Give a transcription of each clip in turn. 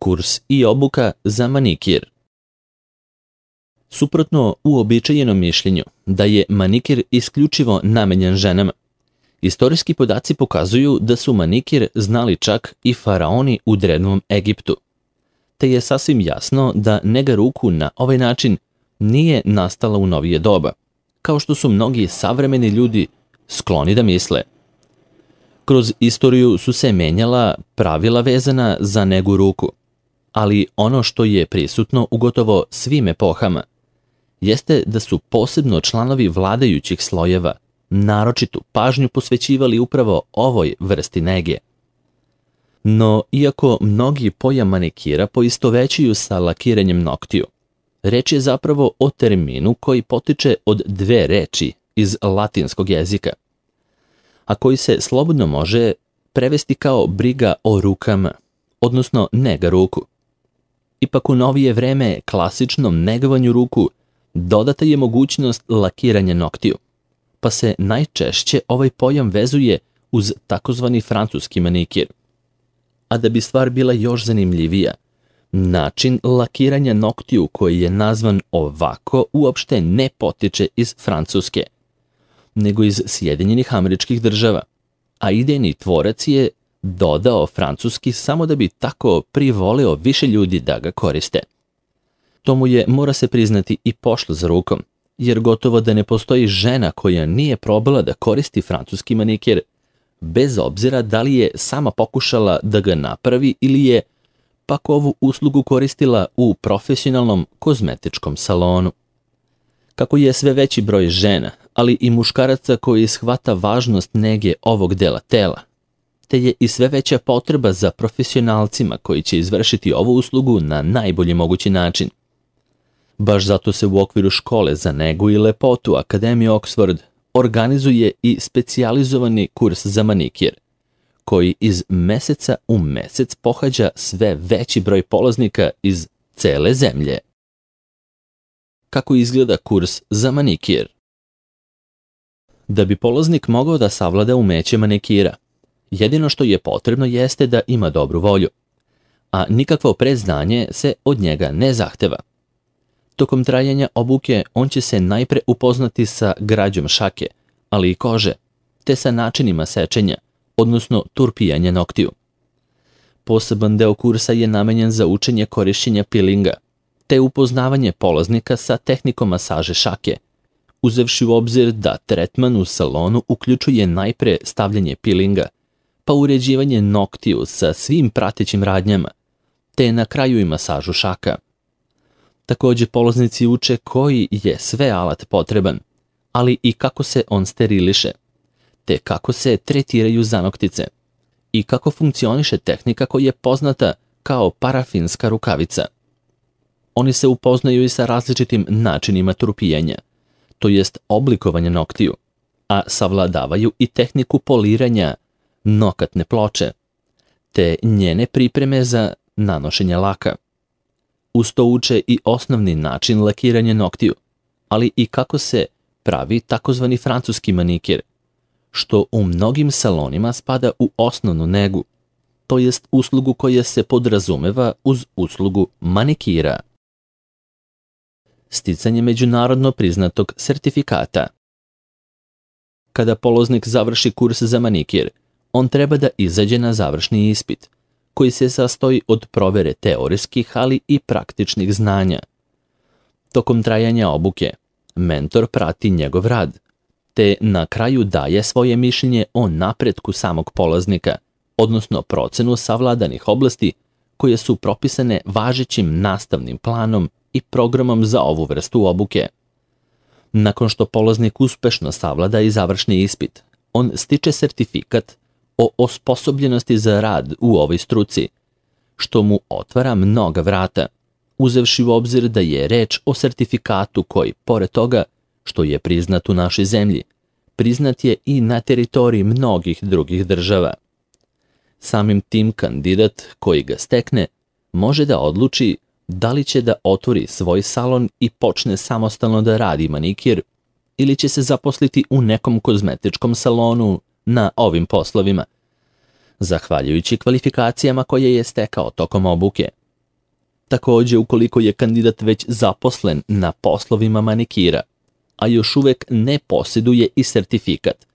Kurs i obuka za manikir. Suprotno uobičajenom mišljenju da je manikir isključivo namenjen ženama, istorijski podaci pokazuju da su manikir znali čak i faraoni u drevnom Egiptu, te je sasvim jasno da nega ruku na ovaj način nije nastala u novije doba, kao što su mnogi savremeni ljudi skloni da misle. Kroz istoriju su se menjala pravila vezana za negu ruku, ali ono što je prisutno u gotovo svim epohama jeste da su posebno članovi vladajućih slojeva naročitu pažnju posvećivali upravo ovoj vrsti nege. No, iako mnogi pojam manikira poistovećuju sa lakiranjem noktiju, reč je zapravo o terminu koji potiče od dve reči iz latinskog jezika, a koji se slobodno može prevesti kao briga o rukama, odnosno nega ruku. Ipak u novije vreme klasičnom negovanju ruku dodata je mogućnost lakiranja noktiju, pa se najčešće ovaj pojam vezuje uz takozvani francuski manikir. A da bi stvar bila još zanimljivija, način lakiranja noktiju koji je nazvan ovako uopšte ne potiče iz Francuske, nego iz Sjedinjenih Američkih Država, a idejni tvorac je dodao francuski samo da bi tako privoleo više ljudi da ga koriste. To mu je, mora se priznati, i pošlo za rukom, jer gotovo da ne postoji žena koja nije probala da koristi francuski manikir, bez obzira da li je sama pokušala da ga napravi ili je pak ovu uslugu koristila u profesionalnom kozmetičkom salonu. Kako je sve veći broj žena, ali i muškaraca koji shvata važnost nege ovog dela tela, te je i sve veća potreba za profesionalcima koji će izvršiti ovu uslugu na najbolji mogući način. Baš zato se u okviru škole za negu i lepotu Akademije Oxford organizuje i specijalizovani kurs za manikir, koji iz meseca u mesec pohađa sve veći broj polaznika iz cele zemlje. Kako izgleda kurs za manikir? Da bi polaznik mogao da savlada umeće manikira, jedino što je potrebno jeste da ima dobru volju, a nikakvo predznanje se od njega ne zahteva. Tokom trajanja obuke on će se najpre upoznati sa građom šake, ali i kože, te sa načinima sečenja, odnosno turpijanja noktiju. Poseban deo kursa je namenjen za učenje korišćenja pilinga, te upoznavanje polaznika sa tehnikom masaže šake, uzevši u obzir da tretman u salonu uključuje najpre stavljanje pilinga, pa uređivanje noktiju sa svim pratećim radnjama, te na kraju i masažu šaka. Također polaznici uče koji je sve alat potreban, ali i kako se on steriliše, te kako se tretiraju zanoktice i kako funkcioniše tehnika koja je poznata kao parafinska rukavica. Oni se upoznaju i sa različitim načinima turpijanja, to jest oblikovanja noktiju, a savladavaju i tehniku poliranja nokatne ploče, te njene pripreme za nanošenje laka. Uz to uče i osnovni način lakiranja noktiju, ali i kako se pravi takozvani francuski manikir, što u mnogim salonima spada u osnovnu negu, to jest uslugu koja se podrazumeva uz uslugu manikira. Sticanje međunarodno priznatog sertifikata. Kada polaznik završi kurs za manikir, on treba da izađe na završni ispit, koji se sastoji od provere teorijskih, ali i praktičnih znanja. Tokom trajanja obuke, mentor prati njegov rad, te na kraju daje svoje mišljenje o napretku samog polaznika, odnosno procenu savladanih oblasti koje su propisane važećim nastavnim planom i programom za ovu vrstu obuke. Nakon što polaznik uspešno savlada i završni ispit, on stiče sertifikat o osposobljenosti za rad u ovoj struci, što mu otvara mnoga vrata, uzevši u obzir da je reč o sertifikatu koji, pored toga što je priznat u našoj zemlji, priznat je i na teritoriji mnogih drugih država. Samim tim kandidat koji ga stekne može da odluči da li će da otvori svoj salon i počne samostalno da radi manikir ili će se zaposliti u nekom kozmetičkom salonu na ovim poslovima, zahvaljujući kvalifikacijama koje je stekao tokom obuke, Također, ukoliko je kandidat već zaposlen na poslovima manikira, a još uvek ne posjeduje i sertifikat,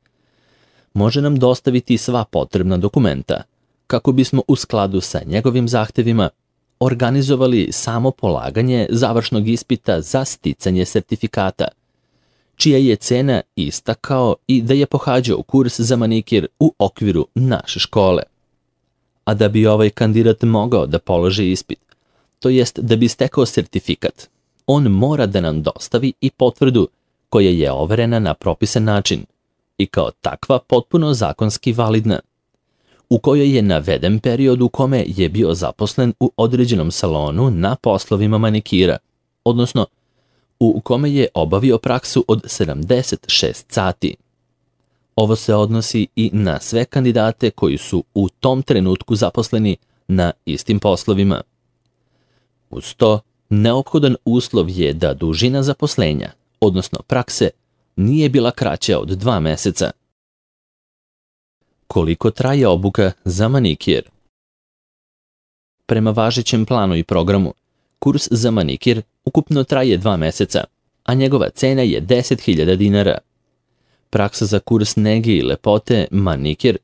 može nam dostaviti sva potrebna dokumenta kako bismo u skladu sa njegovim zahtevima organizovali samo polaganje završnog ispita za sticanje sertifikata, čija je cena ista kao i da je pohađao kurs za manikir u okviru naše škole. A da bi ovaj kandidat mogao da položi ispit, to jest da bi stekao sertifikat, on mora da nam dostavi i potvrdu koja je overena na propisan način i kao takva potpuno zakonski validna, u kojoj je naveden period u kome je bio zaposlen u određenom salonu na poslovima manikira, odnosno u kome je obavio praksu od 76 sati. Ovo se odnosi i na sve kandidate koji su u tom trenutku zaposleni na istim poslovima. Uz to, neophodan uslov je da dužina zaposlenja, odnosno prakse, nije bila kraća od 2 meseca. Koliko traje obuka za manikir? Prema važećem planu i programu, kurs za manikir ukupno traje 2 meseca, a njegova cena je 10.000 dinara. Praksa za kurs nege i lepote manikir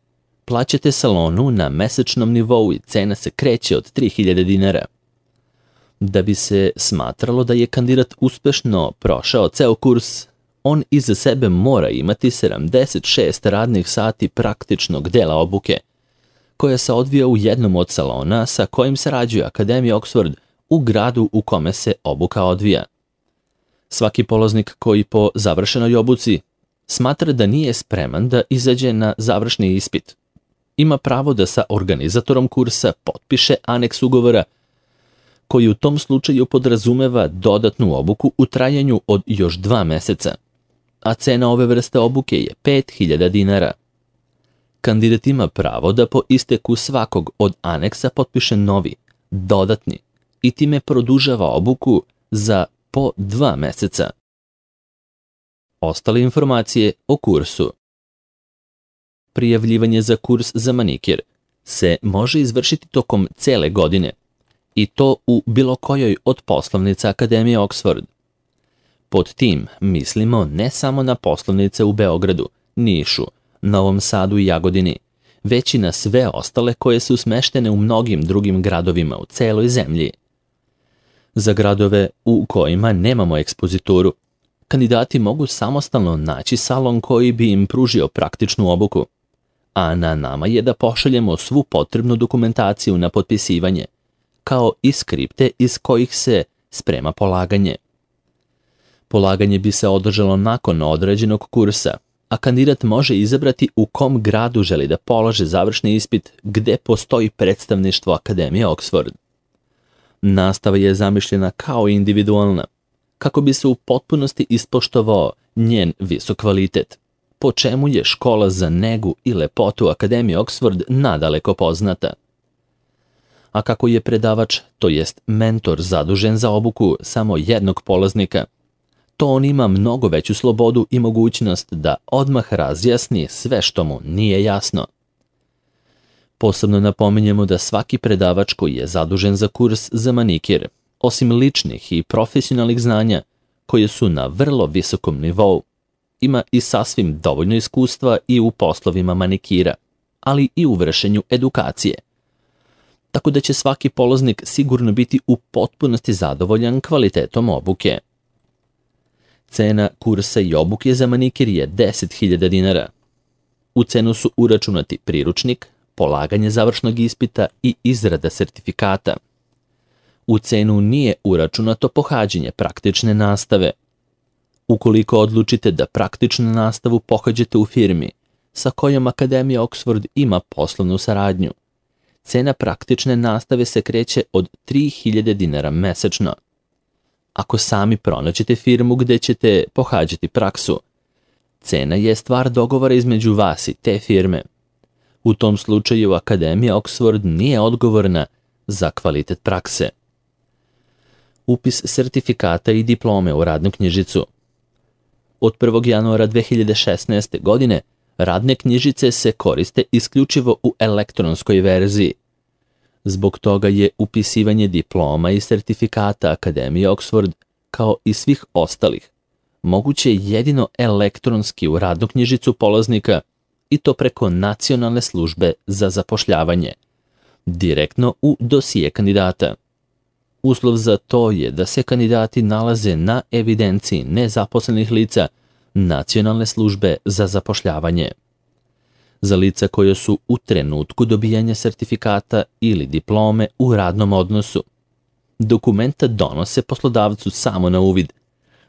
plaćate salonu na mesečnom nivou i cena se kreće od 3.000 dinara. Da bi se smatralo da je kandidat uspešno prošao ceo kurs, on iza sebe mora imati 76 radnih sati praktičnog dela obuke, koja se odvija u jednom od salona sa kojim sarađuje Akademija Oxford u gradu u kome se obuka odvija. Svaki polaznik koji po završenoj obuci smatra da nije spreman da izađe na završni ispit, ima pravo da sa organizatorom kursa potpiše aneks ugovora koji u tom slučaju podrazumeva dodatnu obuku u trajanju od još 2 meseca, a cena ove vrste obuke je 5.000 dinara. Kandidat ima pravo da po isteku svakog od aneksa potpiše novi, dodatni i time produžava obuku za po 2 meseca. Ostale informacije o kursu. Prijavljivanje za kurs za manikir se može izvršiti tokom cele godine, i to u bilo kojoj od poslovnica Akademije Oxford. Pod tim mislimo ne samo na poslovnice u Beogradu, Nišu, Novom Sadu i Jagodini, već i na sve ostale koje su smeštene u mnogim drugim gradovima u celoj zemlji. Za gradove u kojima nemamo ekspozituru, kandidati mogu samostalno naći salon koji bi im pružio praktičnu obuku, a na nama je da pošaljemo svu potrebnu dokumentaciju na potpisivanje, kao i skripte iz kojih se sprema polaganje. Polaganje bi se održalo nakon određenog kursa, a kandidat može izabrati u kom gradu želi da polaže završni ispit gde postoji predstavništvo Akademije Oxford. Nastava je zamišljena kao individualna, kako bi se u potpunosti ispoštovao njen visok kvalitet, po čemu je škola za negu i lepotu Akademije Oxford nadaleko poznata. A kako je predavač, to jest mentor zadužen za obuku samo jednog polaznika, to on ima mnogo veću slobodu i mogućnost da odmah razjasni sve što mu nije jasno. Posebno napominjemo da svaki predavač koji je zadužen za kurs za manikir, osim ličnih i profesionalnih znanja, koje su na vrlo visokom nivou, ima i sasvim dovoljno iskustva i u poslovima manikira, ali i u vršenju edukacije. Tako da će svaki polaznik sigurno biti u potpunosti zadovoljan kvalitetom obuke. Cena kursa i obuke za manikir je 10.000 dinara. U cenu su uračunati priručnik, polaganje završnog ispita i izrada sertifikata. U cenu nije uračunato pohađanje praktične nastave. Ukoliko odlučite da praktičnu nastavu pohađate u firmi sa kojom Akademija Oxford ima poslovnu saradnju, cena praktične nastave se kreće od 3.000 dinara mesečno. Ako sami pronađete firmu gde ćete pohađati praksu, cena je stvar dogovora između vas i te firme. U tom slučaju Akademija Oxford nije odgovorna za kvalitet prakse. Upis sertifikata i diplome u radnu knjižicu. Od 1. januara 2016. godine radne knjižice se koriste isključivo u elektronskoj verziji. Zbog toga je upisivanje diploma i sertifikata Akademije Oxford, kao i svih ostalih, moguće jedino elektronski u radnu knjižicu polaznika i to preko Nacionalne službe za zapošljavanje, direktno u dosije kandidata. Uslov za to je da se kandidati nalaze na evidenciji nezaposlenih lica Nacionalne službe za zapošljavanje. Za lica koja su u trenutku dobijanja sertifikata ili diplome u radnom odnosu, dokumenta donose poslodavcu samo na uvid,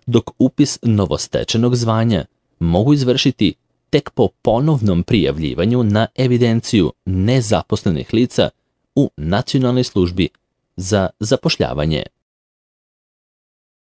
dok upis novostečenog zvanja mogu izvršiti tek po ponovnom prijavljivanju na evidenciju nezaposlenih lica u Nacionalnoj službi za zapošljavanje.